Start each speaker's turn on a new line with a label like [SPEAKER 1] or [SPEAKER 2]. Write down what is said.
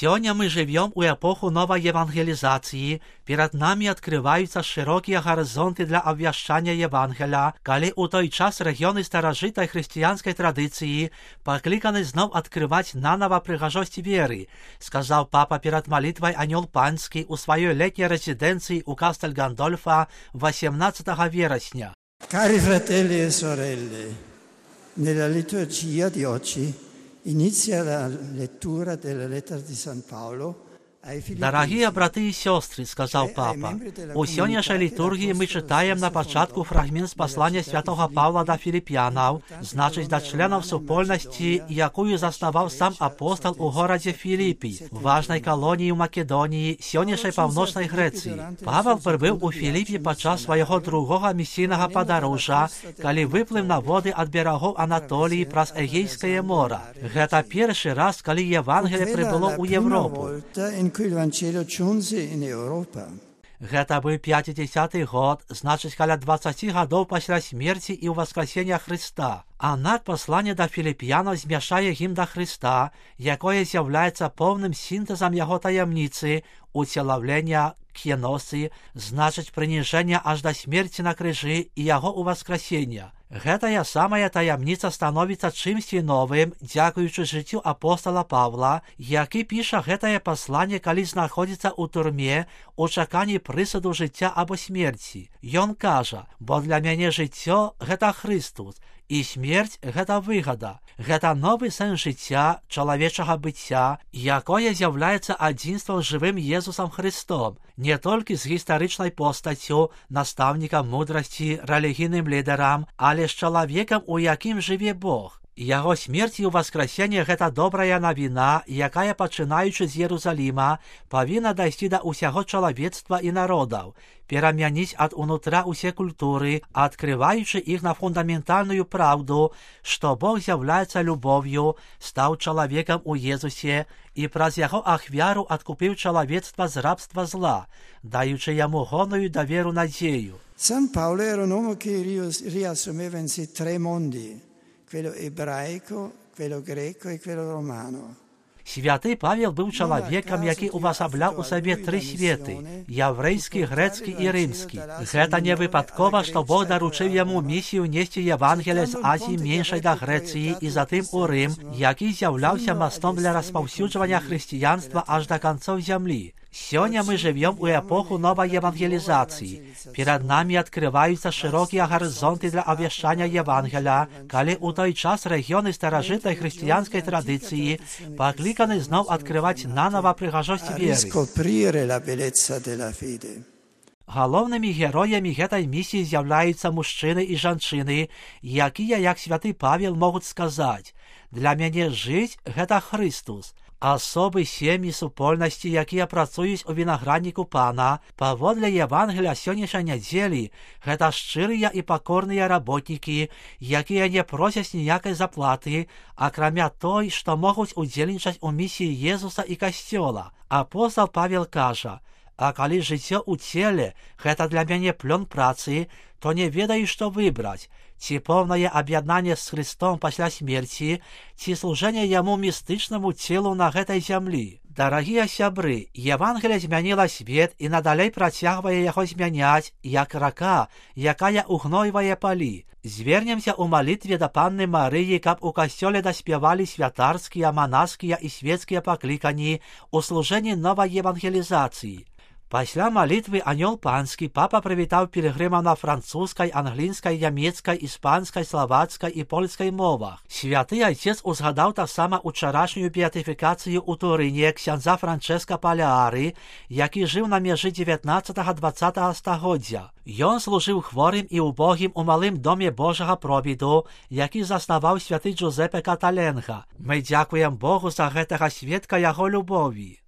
[SPEAKER 1] Сегодня мы живем у эпоху новой евангелизации. Перед нами открываются широкие горизонты для обвящания Евангелия, коли у той час регионы старожитой христианской традиции покликаны знов открывать наново пригожость веры, сказал папа перед молитвой Аньол Панский у своей летней резиденции у Кастель Гандольфа 18 вересня.
[SPEAKER 2] Cari fratelli e sorelle, nella liturgia di oggi inizia la lettura della lettera di San Paolo.
[SPEAKER 1] Дорогие браты и сестры, сказал папа, у сегодняшней литургии мы читаем на початку фрагмент с послания святого Павла до Филиппянов, значит, до членов супольности, якую заснував сам апостол у городе Филиппі, важной колонии в Македонии, сегодняшней Північної Греції. Павел прибув у Филиппі під час свого другого місійного подорожжя, коли виплив на води від берегов Анатолії праз Егейське море. Це перший раз, коли Євангеліє прибуло у Європу. Гэта быў 50-й год, значыць, каля 20 гадоў пасля смерці і ўваскрасення Христа. Аднак пасланне да філіп'янаў змяшае ім да Христа, якое з'яўляецца поўным сінтэзам яго таямніцы, уцелаўлення кеносы, значыць, прыніжэння аж да смерці на крыжы і яго ўваскрасення. Гэтая самая таямніца становіцца чымсьці новым, дзякуючы жыццю апостола Павла, які піша гэтае пасланне, калі знаходзіцца ў турме у чаканні прысуду жыцця або смерці. Ён кажа, бо для мяне жыццё — гэта Христус, і смерць — гэта выгада. Гэта новы сэнс жыцця, чалавечага быцця, якое з'яўляецца адзінствам з жывым Езусам Христом, не толькі з гістарычнай постаццю, настаўнікам мудрасці, рэлігійным лідарам, але з чалавекам, у якім жыве Бог. Яго смерць і ўваскрасенне — гэта добрая навіна, якая, пачынаючы з Єрусаліма, павінна дайсці да ўсяго чалавецтва і народаў, перамяніць ад унутра ўсе культуры, адкрываючы іх на фундаментальную праўду, што Бог з'яўляецца любов'ю, стаў чалавекам у Езусе і праз яго ахвяру адкупіў чалавецтва з рабства зла, даючы яму гонную даверу надзею.
[SPEAKER 2] San Paolo era un uomo che riassumeva in sé tre mondi: quello ebraico, quello greco e quello romano.
[SPEAKER 1] Святы Павел быў чалавекам, які ўвасабляў у сабе тры светы — яўрэйскі, грэцкі і рымскі. Гэта не выпадкова, што Бог даручыў яму місію несці Євангелія з Азіі меншай да Грэцыі і затым у Рым, які з'яўляўся мастом для распаўсюджвання хрысціянства аж да канцоў зямлі. Сегодня мы живем у эпоху новой евангелизации. Перед нами открываются широкие горизонты для обвещания Евангелия, коли у той час регионы старожитной христианской традиции покликаны знов открывать наново пригожость веры. Головними героями этой миссии являются мужчины и женщины, якія, як святый Павел, могут сказать: «Для мяне жить — это Христос». Асобы сем'і супольнасці, якія працуюць у вінаградніку Пана, паводле Євангелія сённяшняй нядзелі, гэта шчырыя і пакорныя работнікі, якія не просяць ніякай заплаты, акрамя той, што могуць удзельнічаць у місіі Езуса і Касцёла. Апостол Павел кажа: «А калі жыццё ў целе — гэта для мяне плён працы, то не ведаю, што выбраць, ці поўнае аб'яднанне з Христом пасля смерці, ці служэнне яму містычнаму целу на гэтай зямлі». Дарагія сябры, Євангелія змяніла свет і надалей працягвае яго змяняць, як рака, якая угнойвае палі. Звернемся ў малітве да Панны Марыі, каб у касцёле даспявалі святарскія, манаскія і свецкія паклікані ў служэнні новай евангелізацыі. Пасля малітвы Аньол Панскі папа прывітаў пілігрымаў на французскай, англійскай, нямецкай, іспанскай, славацкай і польскай мовах. Святы Айцец узгадаў таксама учарашнюю беатыфікацыю ў Турыне ксяндза Франчэска Палеары, які жыў на мяжы 19-20 стагоддзя. Ён служыў хворым і убогім у малым доме Божага провіду, які заснаваў святы Джузепе Каталенга. Мы дзякуем Богу за гэтага сведка яго любові.